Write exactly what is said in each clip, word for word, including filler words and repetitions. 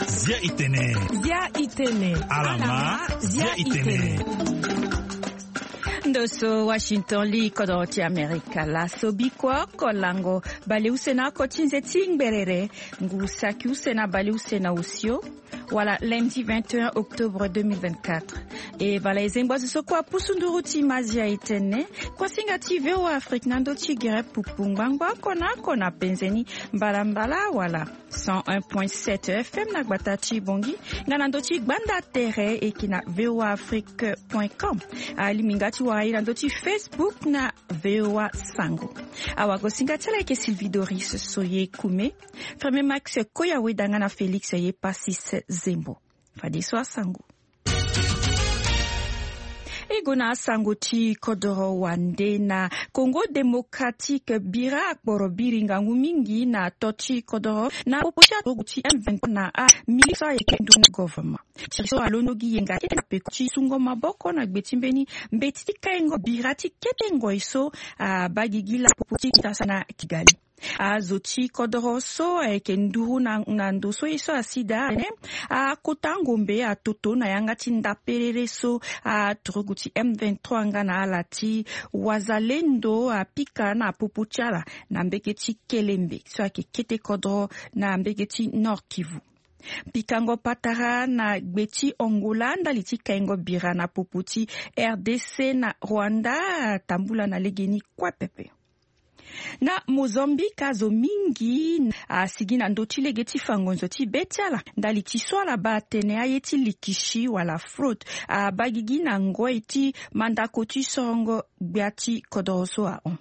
Zia itene. Zia itene. Alama, zia itene. Ndo so Washington li kodoro ti Amerika la so biko oko lango baleuse na oko ti nze ti ngberere ngu saki use na baleuse na osio. Wala lundi vingt et un octobre deux mille vingt-quatre. E bala e zengbo azo so kue apusu nduru ti ma zia itene. Kuasinga ti V O A Afrique na ndö ti gere pupu ngbangbo oko na oko na penze ni mbalambala wala cent un point sept F M na gbata ti Bongi, nga na ndö ti gbanda tere e yeke na V O A Afrique point com. Alingbi nga ti wara e na ndö ti Facebook na V O A Sango. Awagosinga ti ala ayeke Sylvie Doris Soye Kume. Ferme Max Koya Weda nga na Félix Yepasis Zembo. Fadeso asango. E gue na asango ti kodoro wande na Congo Démocratique, bira akporo biri ngangu mingi na to ti kodoro na popo ti aturugu ti M vingt-trois na amiliki so ayeke ndu na gouvernement. Tiri so alondo gi yenga kete na peko ti sungo maboko na gbe ti mbeni mbeti ti kaingo bira ti kete ngoi so abaa gigi lapopo ti tasa na Kigali. Azo ti kodoro so ayeke nduru na, na ndo so ye so asi daa atene akota ngombe atoto na yanga ti ndaperere so aturugu ti M vingt-trois nga na ala ti Wazalendo apika na popo ti ala na mbege ti Kelembe so ayeke kete kodoro na mbege ti Nord Kivu. Pikango patara na gbe ti Angola ndali ti kaingo bira na popo ti R D C na Rwanda atambula na legeni kue pepe. Na Mozambique azo mingi asigi na ndö ti lege ti fa ngonzo ti be ti ala ndali ti so ala baa atene aye ti likisi wala fraude abaa gigi na ngoi ti mandako ti sorongo gbia ti kodoro so ahon.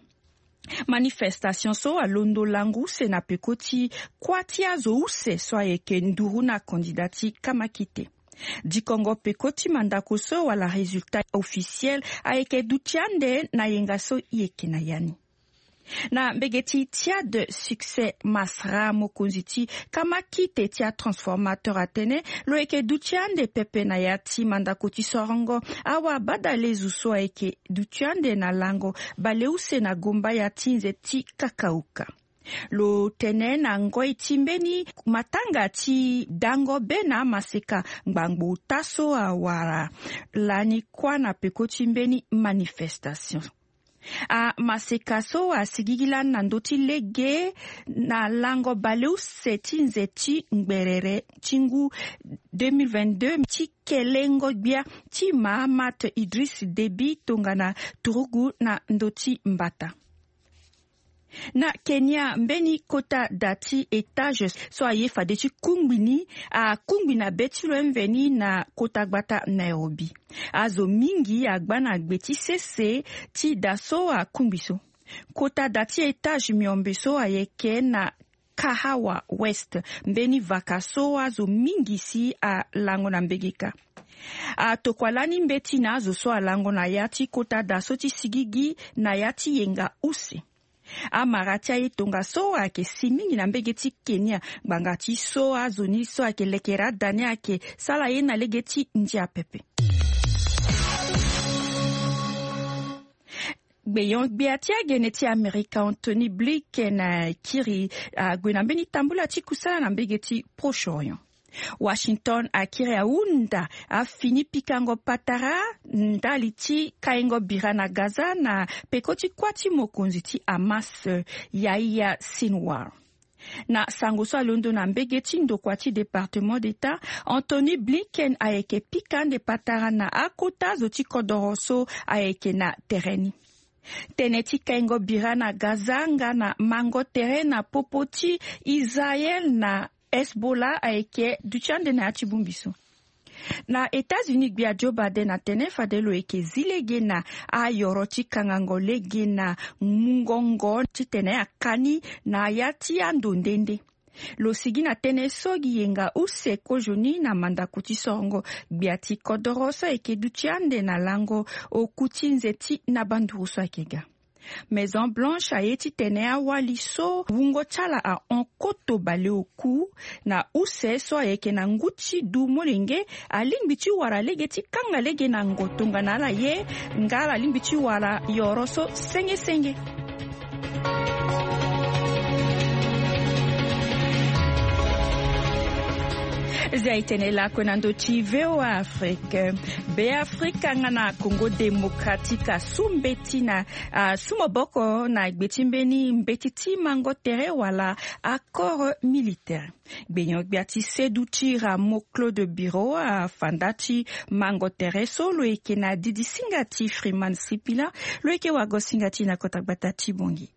Manifestation so alondo lango use na peko ti kuâ ti azo use so ayeke nduru na kandida ti kamakite. Dikongo peko ti mandako so wala résultat officiel ayeke duti ande na yenga so e yeke na ya ni. Na mbege ti Tchad, Succès Masra, mokonzi ti kamakite ti atransformateur atene lo yeke duti ande pepe na ya ti mandako ti sorongo awabadalezu so ayeke duti ande na lango baleuse na gomba ya ti nze ti kakauka. Lo tene na ngoi ti mbeni matanga ti dango be na amaseka ngbangbo ota so awara lani kuâ na peko ti mbeni manifestation. Amaseka so asigigi lani na ndö ti lege na lango baleuse ti nze ti ngberere ti ngu deux mille vingt-deux ti kelengo gbia ti Mahamat Idriss Déby tongana turugu na ndö ti mbata. Na Kenya, mbeni kota da ti étage so aye fade ti kungbi ni akungbi na be ti lo mveni na kota gbata Nairobi. Azo mingi agba na gbe ti sese ti da so akungbi so. Kota da ti étage miombe so ayeke na Kahawa West, mbeni vaka so azo mingi si alango na mbege kâ. Atokua lani mbeti na azo so alango na ya ti kota da so ti sigigi na ya ti yenga use. Amara ti aye tongaso ayeke si mingi na mbege ti Kenya, ngbanga ti so azo ni so ayeke lekere ada ni ayeke sara ye na lege ti ndia pepe. Gbeyon-gbia ti agene ti Amerika Anthony Blinken akiri ague na mbeni tambula ti kusala na mbege ti Proche-Orient. Washington akiri ahunda afini pikango patara ndali ti kaingo bira na Gaza na peko ti kuâ ti mokonzi ti Hamas, Yahya Sinwar. Na sango so alondo na mbege ti ndokua ti Département d'État, Anthony Blinken ayeke pika ande patara na akota zo ti kodoro so ayeke na tere ni. Tënë ti kaingo bira na Gaza nga na mango tere na popo ti Israël na Hezbollah ayeke duti ande na ya ti bongbi so. Na États-Unis, gbia Joe Biden atene fade lo yeke zi lege na ayoro ti kangango lege na mungongo titene akani na ya ti ando nde nde. Lo sigi na tënë so gi yenga use kozoni na mandako ti sorongo gbia ti kodoro so ayeke duti ande na lango oku ti nze ti na banduru so ayeke ga. Maison Blanche aye titene awali so wungo ti ala ahon koto baleoku na use so ayeke na ngu ti du molenge, alingbi ti wara lege ti kanga lege na ngo tongana ala ye, nga ala lingbi ti wara yoro so senge senge. Zia itene lakue na ndo ti V O A Afrique. Be Afrika nga na Congo Démocratique asu mbeti na asu maboko na gbe ti mbeni mbeti ti mango tere wala accord militaire. Gbenyo-gbia ti sedu ti Rameau Claude Biro afa nda ti mango tere so lo yeke na didisinga ti Freeman Sipila, lo yeke wagosinga ti na kota gbata ti Bongi.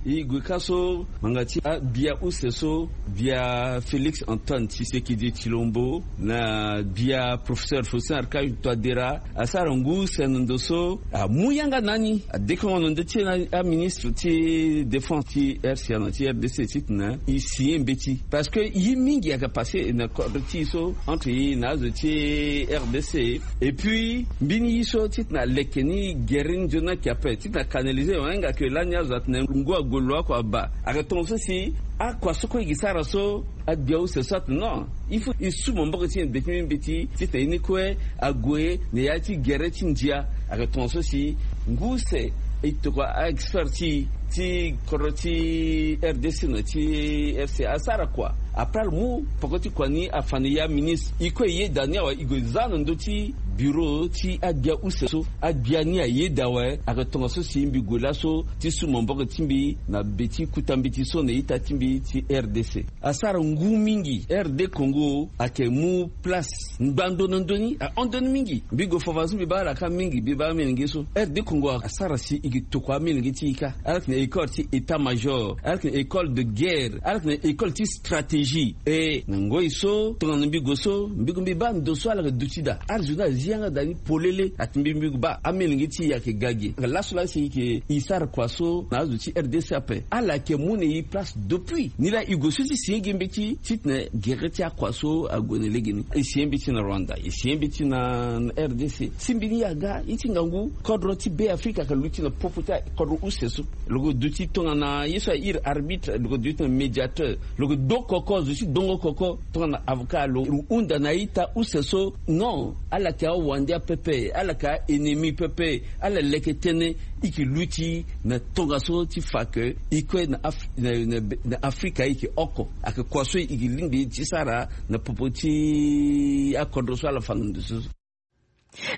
E gue ka so ngbanga ti abia use so, bia Félix Antoine Tshisekedi Tshilombo na bia professeur Faustin Archange Touadéra asara ngu use na ndo so amu yanga na ni, adekongo na ndo ti aministre ti défense ti R C A na ti R D C titene e signé mbeti. Parce que ye mingi ayeke passé na kodro ti e so entre e na azo ti R D C. Et puis mbeni ye so titene aleke ni gere ni nzoni ayeke ape titene acanaliser, ahinga ke lani azo atene ngu ague lo oko abaa. Ayeke tongaso si akua so kue e ke sara so, agbia use so atene non, il faut e su maboko ti e na be ti mbeti titene ye ni kue ague na ya ti gere ti ndia. Ayeke tongaso si ngu use e tokua a-expert ti e ti kodro ti R D C na ti F C A asara kua. Après ala mu poko ti kua ni afa na e aministre, e kue e yeda ni awe, e gue za na ndö ti bureau ti agbia use so, agbia ni ayeda awe. Ayeke tongaso si mbi gue laso ti su maboko ti mbi na be ti kuta mbeti so na ita ti mbi ti R D C. Asara ngu mingi. R D Congo ayeke mu place ngbando na ndö ni, ahon ndö ni mingi. Mbi gue fava so mbi baa ala ka mingi, mbi baa amolenge so. R D Congo asara si e ke tokua amolenge ti e ka. Ala yeke na école ti état-major, ala yeke na école de guerre, ala yeke na école ti stratégie. E na ngoi so tongana mbi gue so, mbi gue mbi baa ndo so ala yeke duti daa. Ala zo ni azi yanga daa ni polele. Ati mbi, mbi gue baa amolenge ti e ayeke ga ge. Laso laa si e yeke e sara kua so na azo ti R D C ape. Ala yeke mu na e place depuis. Nilaa e gue so ti signé gi mbeti titene gere ti akua so ague na legeni. E signé mbeti na Rwanda, e signé mbeti na R D C. Si mbi ni aga, ye ti ngangu kodro ti Be Afrika ayeke luti na popo ti kodro use so. Lo ke duti tongana ye so airi arbitre, lo ke duti na médiateur. Lo ke do koko, zo ti dongo koko tongana avocat. Lo hunda na ita use so, non, ala yeke awande apepe, ala yeke a-ennemi pepe. Ala leke tënë. E ke luti na tongaso ti fa ke e kue na Af-, na, na, na Afrika e ke oko. Ayeke kua so e ke lingbi ti sara na popo ti akodro so ala fa na ndo so.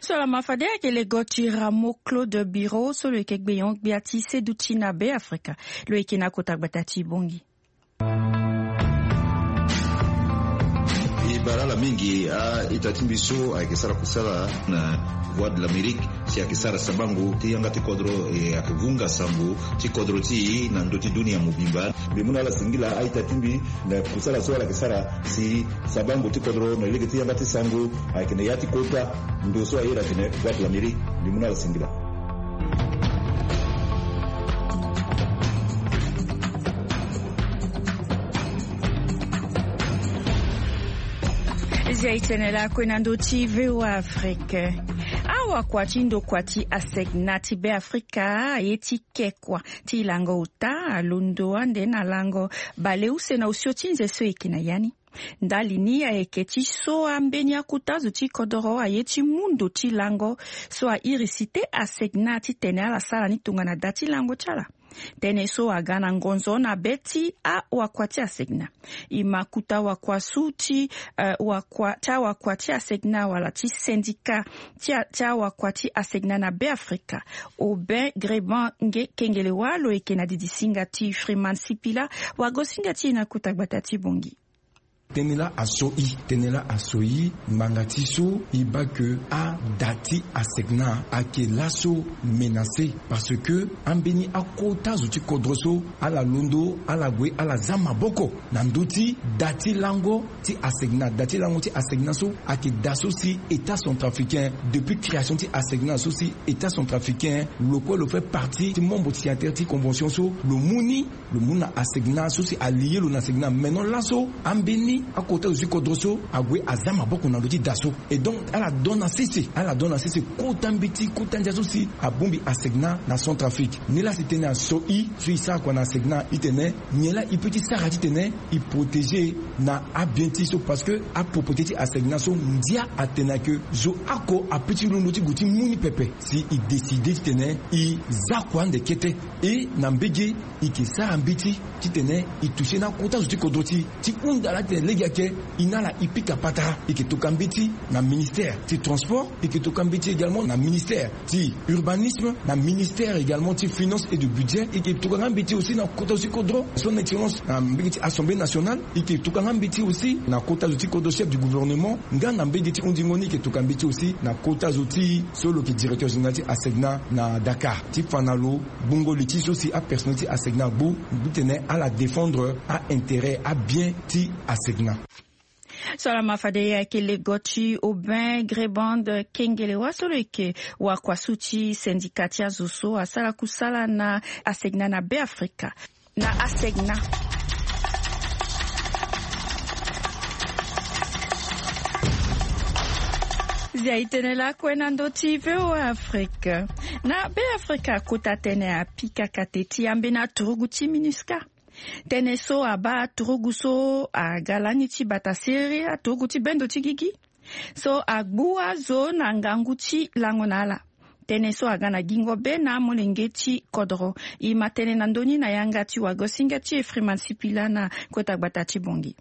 So lama fade ayeke lego ti Rameau Claude Biro so lo yeke gbenyo-gbia ti seduti na Be Afrika. Lo yeke na kota gbata ti Bongi. E bara ala mingi a-ita ti mbi so ayeke sara kusala na Voix de l'Amérique, si ayeke sara sabango ti yanga ti kodro, e ayeke vunga sango ti kodro ti e na ndö ti dunia mobimba. Mbi mu na ala singila a-ita ti mbi na kusala so ala yeke sara si sabango ti kodro na lege ti yanga ti sango ayeke na ya ti kota ndo so aye atene Voix de l'Amérique. Mbi mu na ala singila. Zia e tene lakue na ndö ti V O A Afrique. Awakua ti ndokua ti ASECNA ti Be Afrika aye ti ke kua ti lango ota, alondo ande na lango baleuse na osio ti nze so e yeke na ya ni. Ndali ni ayeke ti so ambeni akuta zo ti kodoro aye ti mu ndo ti lango so airi site ASECNA titene ala sara ni tongana da ti lango ti ala. Tënë so aga na ngonzo na be ti awakua ti ASECNA. E ma kuta wakua su ti, eh, wakua, ti awakua ti ASECNA wala ti syndicat ti a, ti awakua ti ASECNA na Be Afrika. Aubin Greban nge kengele wâ lo yeke na didisinga ti Freeman Sipila, wagosinga ti e na kota gbata ti Bongi. Tënë laa aso i, tënë laa aso i ngbanga ti so i baa ke ada ti ASECNA ayeke laso menacé, parce que ambeni akota zo ti kodro so ala londo, ala gue, ala za maboko na ndö ti da ti lango ti ASECNA. Da ti lango ti ASECNA so ayeke da so si État centrafricain, depuis création ti ASECNA so si État centrafricain lo kue lo fait partie ti membre signataire ti convention so lo mu ni, lo mu na ASECNA so si alié lo na ASECNA. Maintenant laso ambeni Akota zo ti kodro so ague aza maboko na ndo ti da so. Et donc ala don na sese ala don na sese kota mbeti kota ndia so si abongbi asegna na centrafrique. Nilaa si tene aso i so i sara kua na asegna i tene nyen laa i pe ti sara titene i protege na abien ti so parce que apropriété ti asegna so ndia atene ake zo ako ape ti londo ti gue ti mu ni pepe si i décide titene i za kua ande kete. E na mbege i ke sara mbeti titene i toucher na kota zo ti kodro ti i ti hunda laa titene lege ake i na ala i pika patara i ke toka mbeti na ministère ti transport i ke toka mbeti également na ministère ti urbanisme na ministère également ti finance et de budget i ke toka nga mbeti aussi na kota zo ti kodro son excellence na mbege ti assemblée nationale i ke toka nga mbeti aussi na kota zo ti kodro chef du gouvernement nga na mbege ti hundingo ni i ke toka mbeti aussi na kota zo ti so lo ke directeur général ti asegna na dakar ti fa na lo gbungo li ti so si apersonnel ti asegna agbu. Titene ala défendre aintérêt abien ti asegna. So ala ma fade ayeke lego ti aubin grébande kengele wa so lo yeke wakua so ti syndicat ti azo so asara kusala na asegna na be afrika na asegna. Zia i tene lakue na ndo ti voa afrika na be afrika kota tene apika kate ti ambeni aturugu ti minusca. Tënë so abaa turugu so aga lani ti bata siriri aturugu ti bendo ti gigi so agbu azo na ngangu ti lango na ala. Tënë so aga na gingo be na amolenge ti kodoro. E ma tënë na ndö ni na yanga ti wagosinga ti efriman sipila na kota gbata ti bongi.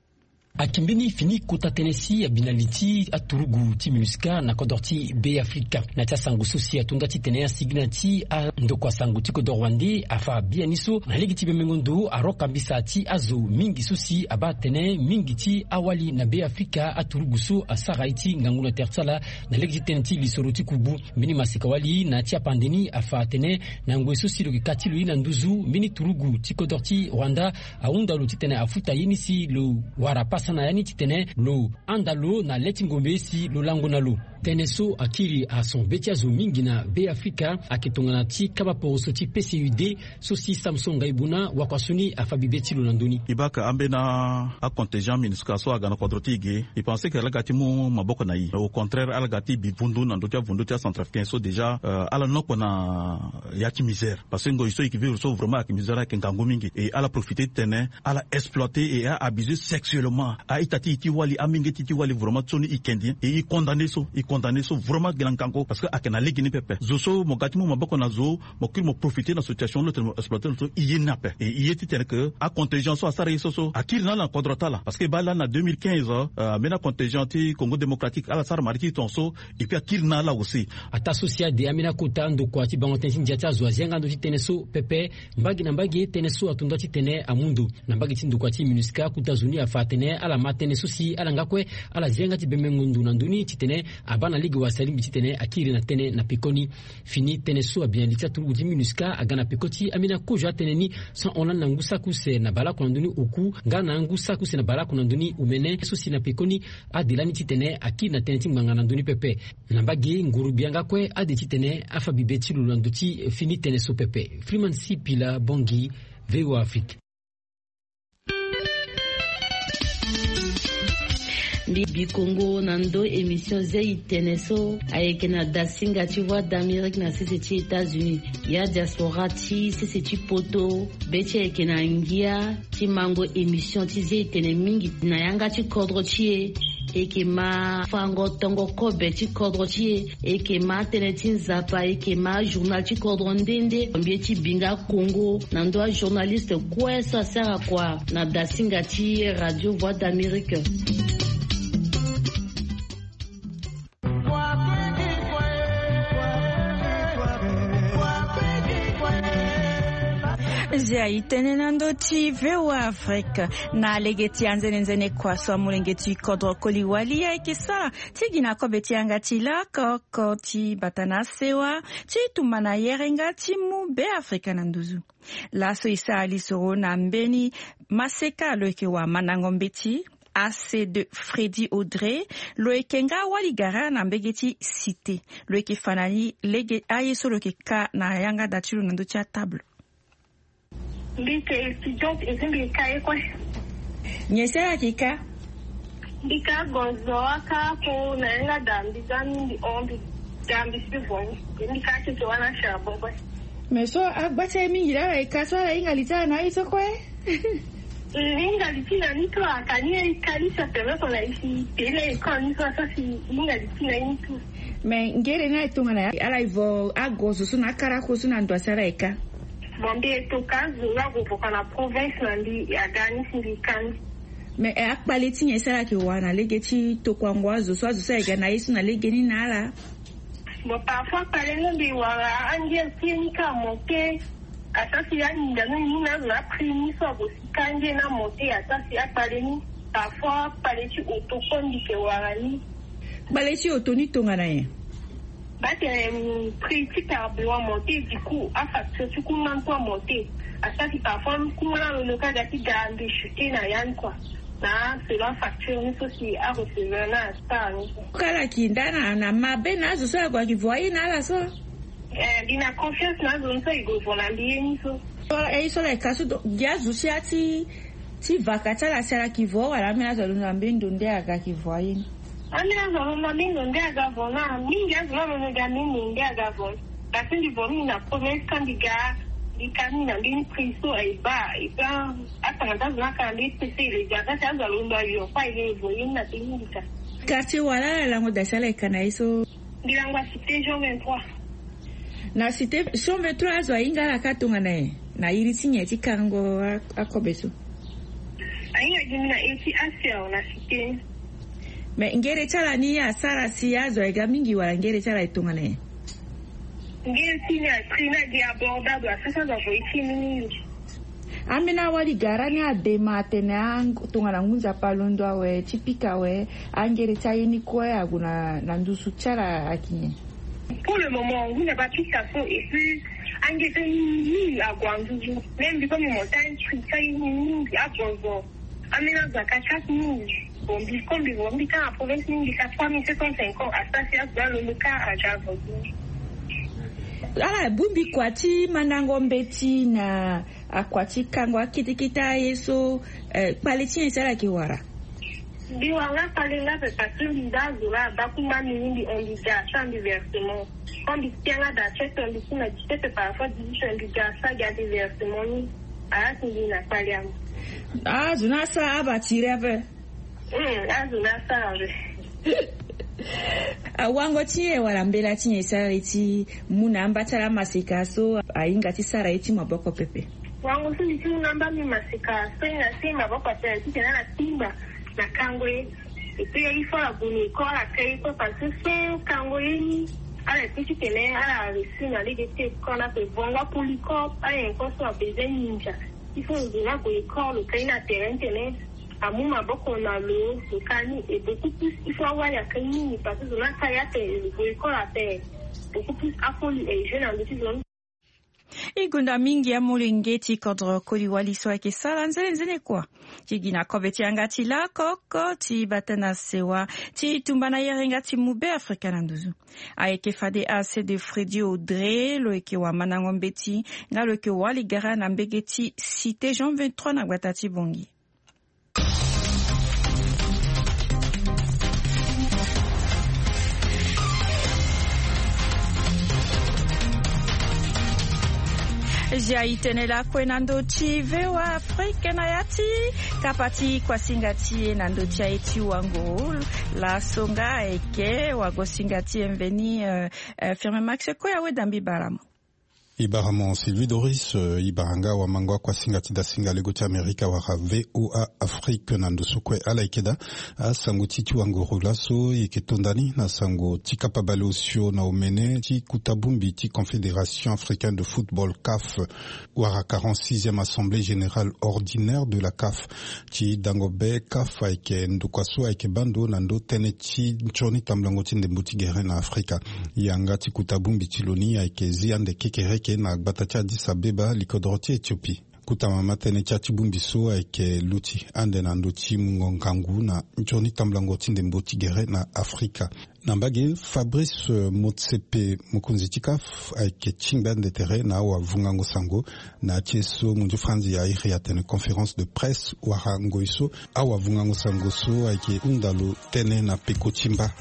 Akembeni fini kota tënë si abi na li ti aturugu ti minusca na kodro ti be afrika na ti asango so si atonda titene asigi na ti andokua sango ti kodoro wande afa biani so na lege ti bemengo ndo aroka mbisa ti azo mingi so si abaa tene mingi ti awali na be afrika aturugu so asara ye ti ngangu na tere ti ala na lege ti tënë ti lisoro ti kubu. Mbeni maseka wali na ti apande ni afa atene na ngoi so si lo yeke ka ti lo ye na nduzu mbeni turugu ti kodro ti rwanda ahunda lo titene afuta ye ni si lo wara pasa na ya ni titene lo handa lo na le ti ngombe si lo lango na lo. Tënë so akiri ason be ti azo mingi na be afrika ayeke tongana ti kaba poroso ti pcud so si samson ngaibuna wakua so ni afa bibe ti lo na ndö ni. E baka ambeni acontingent minusca so aga na kodro ti e ge. E pense ke ala ga ti mu maboko na e, au contraire ala ga ti bi vundu na ndö ti avundu ti acentrafricain so déjà ala nokpo na ya ti misère. Parce que ngoi so e ke vivre so vraiment ayeke misère ayeke ngangu mingi e ala profite ti tene ala exploiter et a abuser sexuellement a-ita ti e ti wali amingeti ti wali vraiment so ni e kendi e e condamner so e condamner so vraiment gi na ngangu parce que ayeke na lege ni pepe zo so mo ga ti mu maboko na zo mo kiri mo profiter na situation lo tene mo exploiter lo so e ye ni ape e e ye titene ke acontingent so asara ye so so akiri na ala na kodro ti ala parce que e baa lani na deux mille quinze ambeni acontingent ti congo démocratique ala sara marie ti ton so. Et puis akiri na ala aussi. Ataa so si ade ambeni akota ndokua ti bango tënë ti ndia ti azo azia nga ndo ti tënë so pepe. Mbage na mbage tënë so atonda titene amu ndo na mbage ti ndokua ti minusca kota zo ni afa atene ala ma tënë so si ala nga kue ala zia nga ti bembengo ndo na ndö ni titene abaa na lege wala salingbi titene akiri na tënë na pekoni. Fini tënë so abi na li ti aturugu ti minusca aga na peko ti ambeni akozo atënë ni so ahon lani na ngu saki use na baleoko na ndö ni oku nga na ngu saki use na baleoko na ndö ni omene so si na pekoni ade lani titene akiri na tënë ti ngbanga na ndö ni pepe. Na mbage nguru bia nga kue ade titene afa bibe ti lo na ndö ti fini tënë so pepe. Freeman sipila bongi. Voa afrique. Mbi bikongo na ndo émission zei tene so ayeke na dasinga ti voix d'amérique na sese ti états-unis ya diaspora ti sese ti poto. Be ti ayeke na ngia ti mango émission ti zei tene mingi na yanga ti kodro ti e. Eke ma fango tongo kobe ti kodro ti e. Eke ma tënë ti nzapa eke ma journal ti kodro nde nde mbi ye ti bi nga kongo na ndo ajournaliste kue so asara kua na dasinga ti radio voix d'amérique. Zia i tene na ndö ti voa afrique na lege ti anzenenzene kua so amolenge ti kodro koli wali ayeke sara ti gi na kobe ti yanga ti lakoko ti bata na sewa ti tumba na yerenga ti mu be afrika na nduzu. Laso e sara lisoro na mbeni maseka lo yeke wamandango mbeti ac de fredi audrey. Lo yeke nga wali gara na mbege ti cité. Lo yeke fa na ni lege aye so lo yeke ka na yanga da ti lo na ndö ti atable. Mbi yeke étudiante et mbi yeke ka ye kue. Nyen sara yeke ka? Mbi ka gonzo aka ko na yanga da mbi za mbi hon mbi da mbi si vo ni. Mbi ka tete wana charbon kue. Mais so agba ti aye mingi laa ala ye ka so ala hinga li ti ala na aye so kue. Hinga li ti na ni tu aka ni aye ka ni sa permettre na ye si tele ye kan ni so asa si hinga li ti na ye ni tu. Mais ngere ni aye tongana ya ala ye vo agonzo so na akarako so na ndo asi ala ye ka. Bon mbi ye to ka zo la go vo ka na province na mbi aga ni si mbi ka ni. Mais eh, akpale ti nyen so ala yeke wara na lege ti tokuango azo so azo so ayeke ga na ye so na lege ni na ala? Bon parfois akpale ni mbi wara angel ti ye ni ka monte. Asa si aninda ni ni na azo na prix ni so ago si ka angel ni amonte asa si akpale ni. Parfois akpale ti oto kue mbi yeke wara ni. Kpale ti oto ni tongana nyen? Batene prix ti carburant monte du coup afacture ti kuma ni kue amonte. Asaki parfois kuma ni alondo ka ga ti ga mbi chuter na ya ni kua. Na selon afacture ni so si arecevoir na astar ni. Kala ki nda na na mabe na azo so ague ayeke vo aye na ala so. Eh mbi na confiance na azo ni so e gue vo na mbi ye ni so. Aye so ala yeke ka so gi azo si ati ti vaka ti ala si ala yeke vo wala ambeni azo alondo na mbeni ndo nde aga yeke vo aye ni? Ambeni azo alondo na mbeni ndo nde aga vo na mingi azo ni alondo ga mbeni ndo nde aga vo. Kasi mbi vo mingi na province ka mbi ga mbi ka mingi na mbeni prix so aye baa aye baa. Atanga ti azo ni aka na mbeni prix so e le ga kasi azo alondo ayo kue aye le vo ye ni na mbeni mbi ka. Quartier wala ala lango da si ala yeke ka na ye so? Mbi lango acité jean vingt-trois. Na cité jean vingt-trois azo ahinga ala ka tongana nyen? Na iri ti nyen ti kango akobe so? Ahinga gi mbi na iri ti aser na cité. Mais ngere ti ala ni asara si azo aye ga mingi wala ngere ti ala e tongana nyen? Ngere ti ni aprix ni agi abordable asara si azo avo ye ti ni mingi. Ambeni awali gara ni adema atene tongana ngu nzapa alondo awe ti pika awe. Angere ti aye ni kue ague na nduzu ti ala ayeke nyen? Pour le moment ngu nzapa pika so et puis angere ti aye ni mingi ague na nduzu. Même mbi comme montagne prix ti aye ni mingi agonzo. Ambeni azo aka kati mingi. Bon mbi comme mbi vo mbi ka na province ni mbi ka trois mille sept cent cinquante asara si azo alondo ka aga agonzo. Ala bongbi kua ti mandango mbeti na akua ti kango akete kete aye so. Kpale ti nyen si ala yeke wara? Mbi wara nga kpale nga pepe parce que mbi da azo laa ada kuma mbi ni mbi hon mbi ga asara mbi versement. Quand mbi tia nga da ti ete mbi ti na dix-sept parfois dix-huit mbi ga asara gi ade versement ni. Ala ti mbi na kpale amu. Azo ni asara aba tiri ape. Azo ni asara ape. Awango ti nyen wala mbela ti nyen sara ye ti mu na amba ti ala maseka so ahinga ti sara ye ti maboko pepe? Wango so mbi ti mu na amba mbi maseka so ahinga ti maboko pepe titene ala timba na kango ye. Et puis il faut ala gue na école ala ka ye kue parce que sans kango ye ni ala ye kue titene ala réussir na lege ti école ape. Vongo apolycope ala nyen kue so abezoin ninja. Il faut lo gue na gue école lo ka ye na terrain titene amu maboko na lo lo ka ni et beaucoup plus il faut awali aka ye mingi parce que zo ni aka ye ape lo gue école ape. Beaucoup plus akoli e jeu na ndö ti zo ni. E gonda mingi amolenge ti kodro koli wali so ayeke sara nzene nzene kua ti gi na kobe ti yanga ti lakoko ti bata na sewa ti tumba na yerenga ti mu be afrika na nduzu. Ayeke fade ase de fredi audre lo yeke wamandango mbeti nga lo yeke wali gara na mbege ti cité jean vingt-trois na gbata ti bongi. Zia itene lakue na ndo ti vewa afrike na ya ti kapa ti kuasinga ti e na ndo ti aye ti wango. Laso nga ayeke wagosinga ti e mveni. Firme max kue aweda mbi baramo. Ibaramo sylvie doris. Ibaranga wamango akuasinga ti dasinga lego ti amerika wara voa afrike na ndo so kue ala yeke daa. Asango ti ti wangoro laso yeke tonda ni na sango ti kapa baleosio na omene ti kuta bongbi ti confédération africaine de football caf wara quarante-sixième assemblée générale ordinaire de la caf. Ti dango be caf ayeke ndokua so ayeke baa ndo na ndo tënë ti ntioni tambulango ti ndembo ti gere na afrika. Yanga ti kuta bongbi ti lo ni ayeke zi ande kekereke na gbata ti addis abeba likodro ti ethiopie. Kuta mama tënë ti ati bongbi so ayeke luti ande na ndö ti mungo ngangu na ntioni tambulango ti ndembo ti gere na afrika. Na mbage, Fabrice Motsepe, mokonzi ti CAF, ayeke tingbi ande tere na awavungango sango na ya ti ye so munzu franzi airi atene conférence de presse wala ngoi so awavungango sango so ayeke hunda lo tënë na peko ti mba.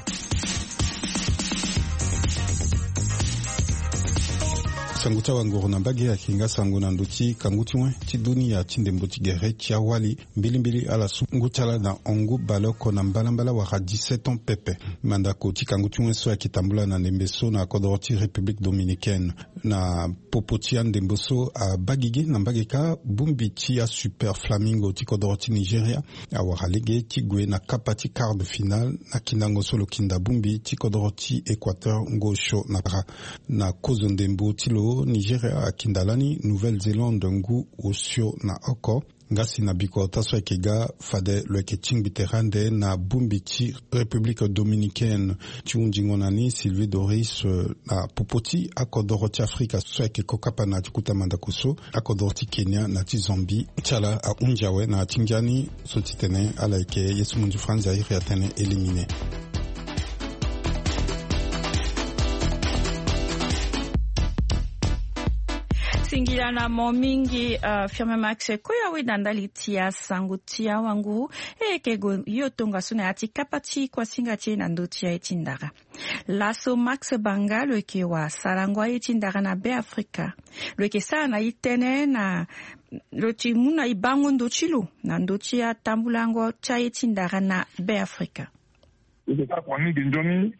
Sango ti awangoro na mbage ayeke nga sango na ndö ti kangu ti wen ti dunia ti ndembo ti gere ti awali mbilimbili ala su ngu ti ala na hongu baleoko na mbalambala wala dix-sept ans pepe. Mandako ti kangu ti wen so ayeke tambula na ndembe so na kodoro ti République dominicaine. Na popo ti andembo so abaa gigi na mbage kâ, bongbi ti asuper flamingo ti kodoro ti Nigeria awara lege ti gue na kapa ti quart de finale na kindango so lo kinda bongbi ti kodoro ti Équateur ngo osio na para. Na kozo ndembo ti lo, Nigeria akinda lani Nouvelle-Zélande ngu osio na oko. Nga si na bikota so ayeke ga, fade lo yeke tingbi tere ande na bongbi ti République dominicaine. Ti hunzingo na ni, Sylvie Doris, eh, na popo ti akodoro ti Afrika so ayeke kokapa na ti kota mandako so, akodoro ti Kenya na ti Zambie, ti ala ahunzi awe na ya ti ngia ni so ti tene ala yeke ye so munzu franzi airi atene éliminé. Singila na mo mingi, uh, Firme Max, kue awe na ndali ti asango ti awangu. E yeke gue yo tongaso na ya ti kapa ti kuasinga ti e na ndö ti aye ti ndara. Laso Max Banga lo yeke wasarango aye ti ndara na Beafrika. Lo yeke sara na e tënë na lo ti mu na e bango ndo ti lo na ndö ti atambulango ti aye ti ndara na Beafrika. E yeke kâ kua mingi nzoni.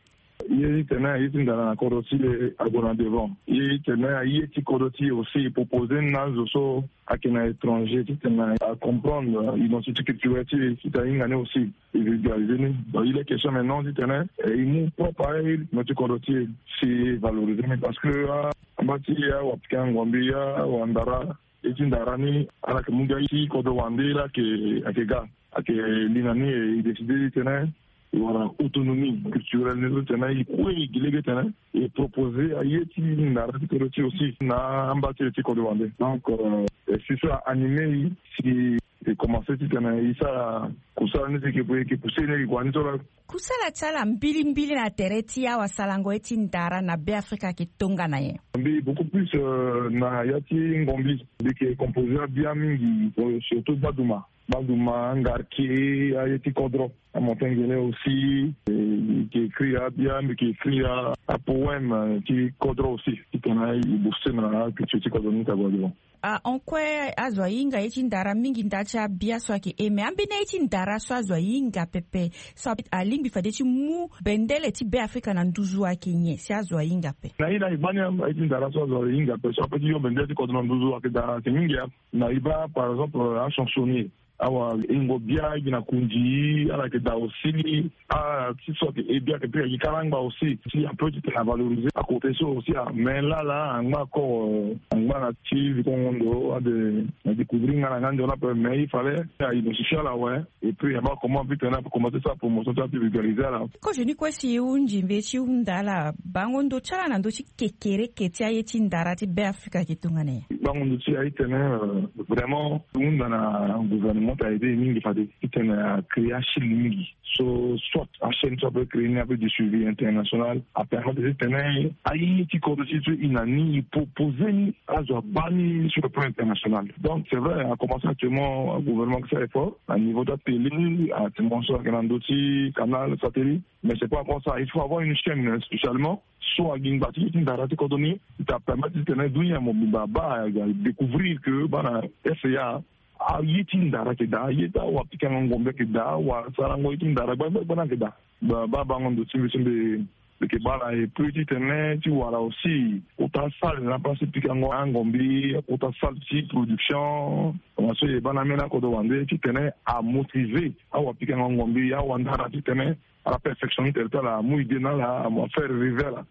Ye ti tene aye ti ndara na kodro ti e ague na devant. Ye ti tene aye ti kodro ti e aussi e proposer ni na azo so ayeke na étranger ti tene acomprendre identité culturelle ti e, ti tene ahinga ni aussi e vulgariser ni. Donc il est question maintenant ti tene, eh, e mu propre aye ti kodro ti e si e valoriser ni parce que, ah, amba ti awapikango ngombi, awandara, ye ti ndara ni ala yeke mu gi aye ti kodro wande, ala yeke, ayeke ga, ayeke li na ni, e décider ti tene e wara autonomie culturelle ni so ti tene e kue e gi lege ti tene e proposer aye ti ndara ti kodro ti e aussi na amba ti e ti kodro wande. Donc, euh, e si so a animé e si e commencer ti tene e sara kusala ni si e yeke, e yeke pousser ni, e yeke gue ni so laa. Kusala ti ala mbilimbili na tere ti awasarango ye ti ndara na Beafrika ayeke tongana nyen? Mbi beaucoup plus, euh, na ya ti ngombi. Mbi yeke composer abia mingi, euh, surtout baduma. Baduma, ngarke, aye ti kodro. Amontagne gele aussi, eh, mbi yeke écrire abia, mbi yeke écrire a, apoème, eh, ti kodro aussi. Ti tene e booster na aculture ti kodro ni ti ague devant. Ah, en quoi azo ahinga ye ti ndara mingi nda ti abia so ayeke e, mais ambeni aye ti ndara so azo ahinga pepe so alingbi fade ti mu bendele ti Beafrika na nduzu ayeke nyen si azo ahinga ape? Na ye na e baa ni aye ti ndara so azo ahinga ape so ape ti yo bendele ti kodro na nduzu ayeke daa, ayeke mingi. Na e baa par exemple, euh, achansonnier, awahingo bia gi na kundi, ala yeke daa aussi. Ah, ti so ayeke e bia ayeke pe ayeke kara angba aussi. Si ape ti tene avaloriser akote so aussi, ah, mais là là angba encore, euh, angba na ti vikongo ndo ade na découvrir nga na nga nzoni ape, mais il fallait a identifier ala awe. Et puis, il y a pas comment vite on a commencé sa promotion, ça, puis vulgariser là. Kozo ni kue si e hunzi mbi ti hunda ala bango ndo ti ala na ndö ti kekereke ti aye ti ndara ti Beafrika ayeke tongana nyen? Bango ndo ti e ayeke tene, euh, vraiment hunda na gouvernement ti aide e mingi fade ti tene a créer achaîne mingi. So soit achaîne so ape créer ni ape du suivi international, apermettre ti tene aye ti kodro ti e so e na ni e proposer ni azo abaa ni sur le plan international. Donc c'est vrai, a commencé actuellement, gouvernement ayeke sara effort na niveau ti atélé, actuellement so ayeke na ndö ti canal, satellite. Mais c'est pas encore ça, il faut avoir une chaîne spécialement so a gi ngba ti ye ti ndara ti kodro ni, ti permettre ti tene dunia mobimba abaa, a découvrir que baa na S A aye ti ndara ayeke daa, aye ti awapikango ngombe ayeke daa, awasarango ye ti ndara gbagba gbagba ni ayeke daa. Baa, baa bango ndo ti mbi so mbi, mbi yeke baa na e plus ti tene ti wara aussi kota salle na place ti pikango angombi, kota salle ti production. Tongana so e baa na ambeni akodro wande ti tene amotiver awapikango ngombi, awandara ti tene ala perfectionner tere ti ala, amu idée na ala, amu affaire rêver ala.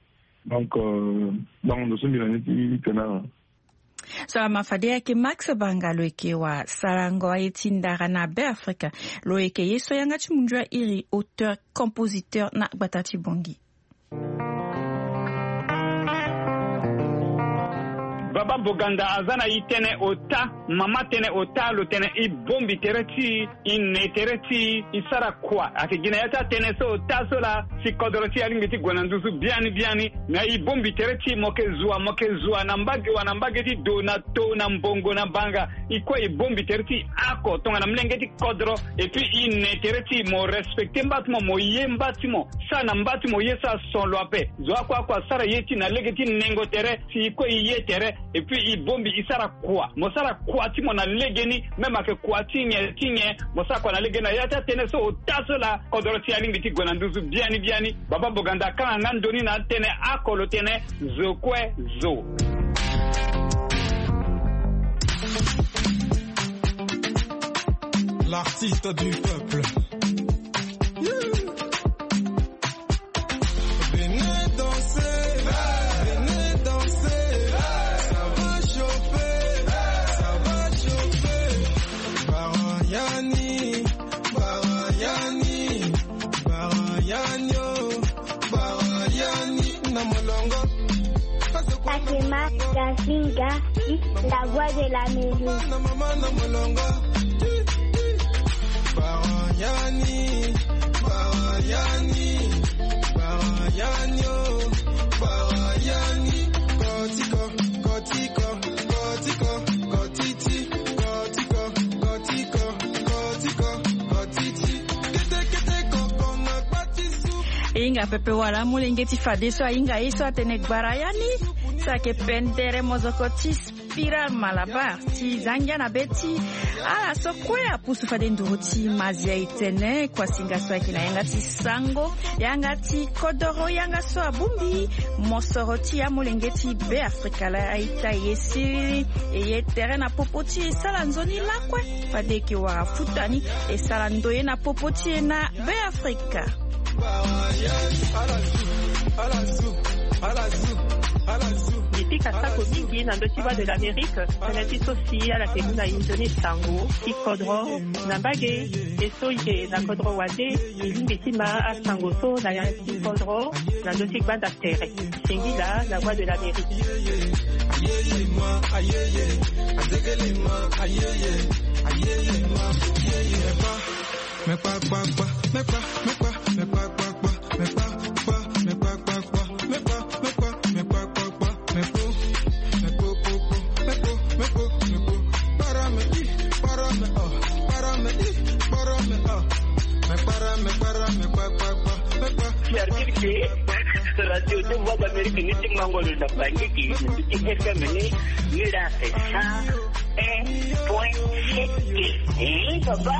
Donc, euh, bango ndo so mbi na ni ti tene ala. So ama fade ayeke Max Banga, lo yeke wasarango aye ti ndara na Beafrika. Lo yeke ye so yanga ti mundu airi auteur, compositeur na gbata ti Bangui. Baba Boganda aza na e tënë ota. Mama tene ota lo tene e bombi tere ti e, e ne tere ti e, e sara kua. Ayeke gi na ya ti atene so ota so laa si kodoro ti e alingbi ti gue na nduzu biani biani. Me e bombi tere ti e, mo yeke zua, mo yeke zua na mbage wa na mbage ti do na to na mbongo na banga. E kue e bombi tere ti e oko tongana molenge ti kodoro. Et puis e ne tere ti e, mo respecter mba ti mo, mo ye mba ti mo. Sara na mba ti mo ye so ason lo ape. Zo oko oko asara ye ti e na lege ti nengo tere. Si e kue e ye tere. Et puis e bombi e sara kua. Mo sara kua ti mo na legeni. Même ayeke kua ti nyen ti nyen, mo sara kua na legeni. Na ya ti atene so ota so laa kodoro ti e alingbi ti gue na nduzu biani biani. Baba Boganda akanga nga ndo ni na atene oko lo tene zo kue zo. L'artiste du peuple. Venez danser, venez danser, ça va chauffer, ça va chauffer. Barayani, barayani, barayani, oh, barayani, na molongo. Akema Gazinga, la voix de la mélodie. E hinga pepe wala amolenge ti fadeso ahinga ye so atene gbara ya ni. So ayeke pendere mozoko ti Spiral Malabar ti za ngia na be ti ala so kue apusu fade nduru ti Mazia e tene kuasinga so ayeke na yanga ti sango, yanga ti kodoro, yanga so abongbi mosoro ti amolenge ti Beafrika laa a-ita e ye siriri. E ye tere na popo ti e, e sara nzoni lakue fade e yeke wara futa ni, e sara ndoye na popo ti e na Beafrika. Mbi pika sako mingi na ndö ti Voix de l'Amérique, tënë ti so si ala yeke mu na e nzoni sango ti kodro na mbage. E so e yeke na kodro wande, e lingbi ti ma asango so na yanga ti kodro na ndö ti gbanda tere. Singila, la Voix de l'Amérique. Service Radio de Voix d'Amérique ni ti mango lo na Bangui, ni ti F M ni, ni la esa. Un point sept. Eh, papa.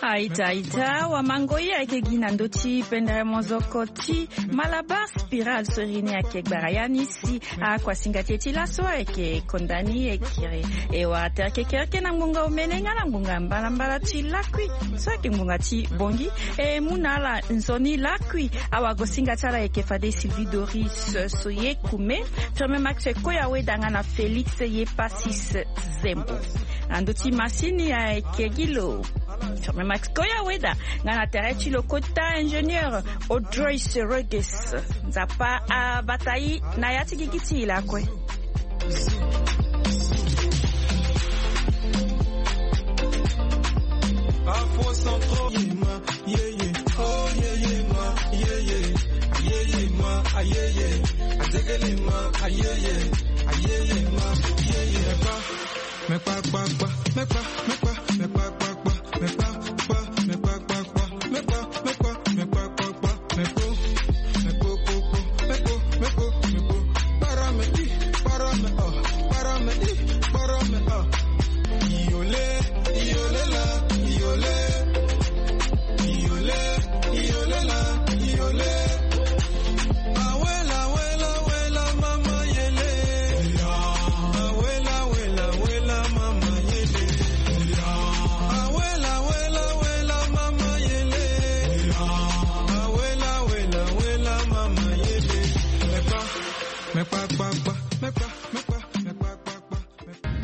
Aita, aita, wamango ye ayeke gi na ndö ti pendere mozoko ti Malabar Spiral so iri ni ayeke gbara ya ni si akuasinga ti e ti laso ayeke konda ni e kiri. E wara tere kekereke na ngbonga omene nga na ngbonga mbalambala ti lakui so ayeke ngbonga ti bongi. E mu na ala nzoni lakui. Awagosinga ti ala ayeke fade Sylvie Doris Soye Kume, Firmin Max Koya Weda nga na Félix Yepasis Zembo. Na ndö ti masini ayeke gi lo Firmin Max Koya Weda nga na tere ti lo kota ingénieur Audrey Sereges. Nzapa abata e na ya ti gigi ti e lakue.